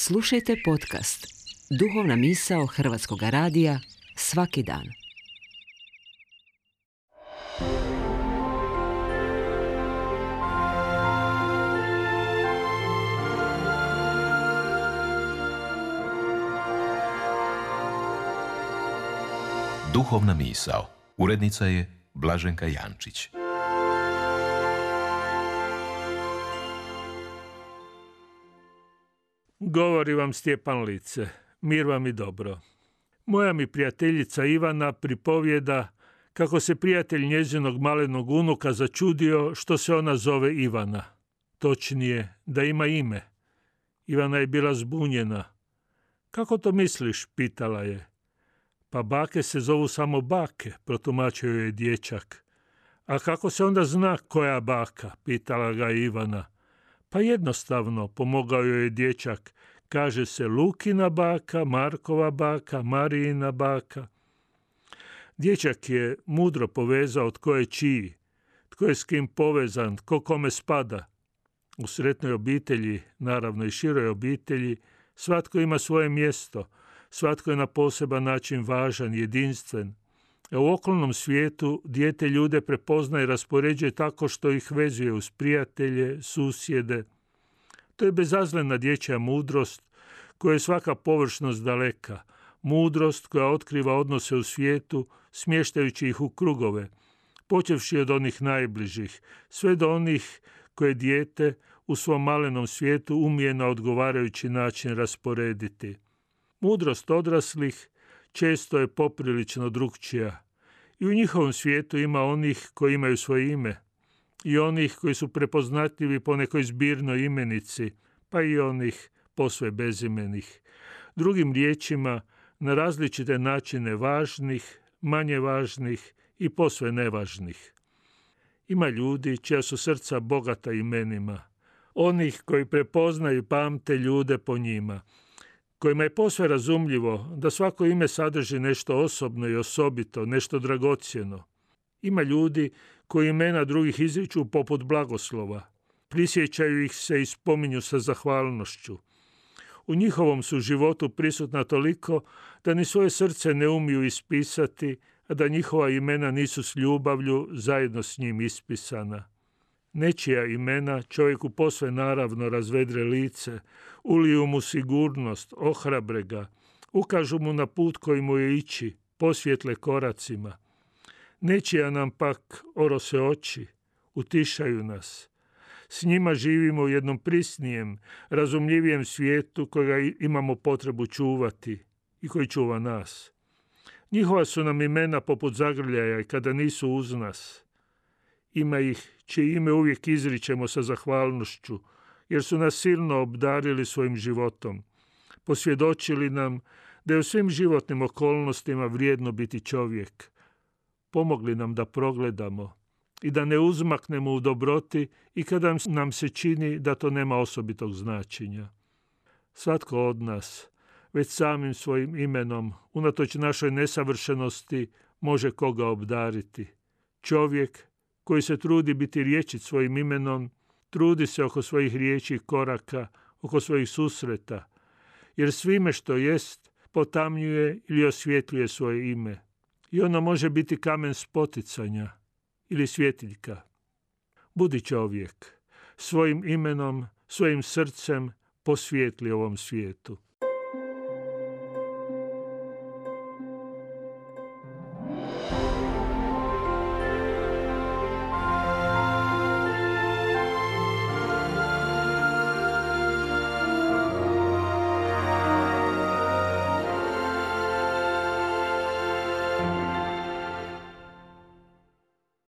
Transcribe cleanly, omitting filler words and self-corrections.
Slušajte podcast Duhovna misao Hrvatskog radija svaki dan. Duhovna misao. Urednica je Blaženka Jančić. Govori vam Stjepan Lice, mir vam i dobro. Moja mi prijateljica Ivana pripovijeda kako se prijatelj njezinog malenog unuka začudio što se ona zove Ivana. Točnije, da ima ime. Ivana je bila zbunjena. Kako to misliš, pitala je. Pa bake se zovu samo bake, protumačio je dječak. A kako se onda zna koja baka, pitala ga Ivana. Pa jednostavno, pomogao joj je dječak, kaže se Lukina baka, Markova baka, Marijina baka. Dječak je mudro povezao tko je čiji, tko je s kim povezan, tko kome spada. U sretnoj obitelji, naravno i široj obitelji, svatko ima svoje mjesto, svatko je na poseban način važan, jedinstven. A u okolnom svijetu dijete ljude prepoznaje i raspoređuje tako što ih vezuje uz prijatelje, susjede. To je bezazlena dječja mudrost koja je svaka površnost daleka. Mudrost koja otkriva odnose u svijetu, smještajući ih u krugove, počevši od onih najbližih, sve do onih koje dijete u svom malenom svijetu umije na odgovarajući način rasporediti. Mudrost odraslih često je poprilično drukčija. I u njihovom svijetu ima onih koji imaju svoje ime i onih koji su prepoznatljivi po nekoj zbirnoj imenici, pa i onih posve bezimenih. Drugim riječima, na različite načine važnih, manje važnih i posve nevažnih. Ima ljudi čija su srca bogata imenima, onih koji prepoznaju i pamte ljude po njima, kojima je posve razumljivo da svako ime sadrži nešto osobno i osobito, nešto dragocjeno. Ima ljudi koji imena drugih izriču poput blagoslova, prisjećaju ih se i spominju sa zahvalnošću. U njihovom su životu prisutna toliko da ni svoje srce ne umiju ispisati, a da njihova imena nisu s ljubavlju zajedno s njim ispisana. Nečija imena čovjeku posve naravno razvedre lice, uliju mu sigurnost, ohrabre ga, ukažu mu na put koji mu je ići, posvjetle koracima. Nečija nam pak orose oči, utišaju nas. S njima živimo u jednom prisnijem, razumljivijem svijetu kojega imamo potrebu čuvati i koji čuva nas. Njihova su nam imena poput zagrljaja i kada nisu uz nas. Ima ih čije ime uvijek izričemo sa zahvalnošću, jer su nas silno obdarili svojim životom. Posvjedočili nam da je u svim životnim okolnostima vrijedno biti čovjek. Pomogli nam da progledamo i da ne uzmaknemo u dobroti i kada nam se čini da to nema osobitog značenja. Svatko od nas, već samim svojim imenom, unatoč našoj nesavršenosti, može koga obdariti. Čovjek koji se trudi biti rječit svojim imenom, trudi se oko svojih riječi i koraka, oko svojih susreta, jer svime što jest potamnjuje ili osvjetljuje svoje ime. I ono može biti kamen spoticanja ili svjetiljka. Budi čovjek, svojim imenom, svojim srcem posvijetli ovom svijetu.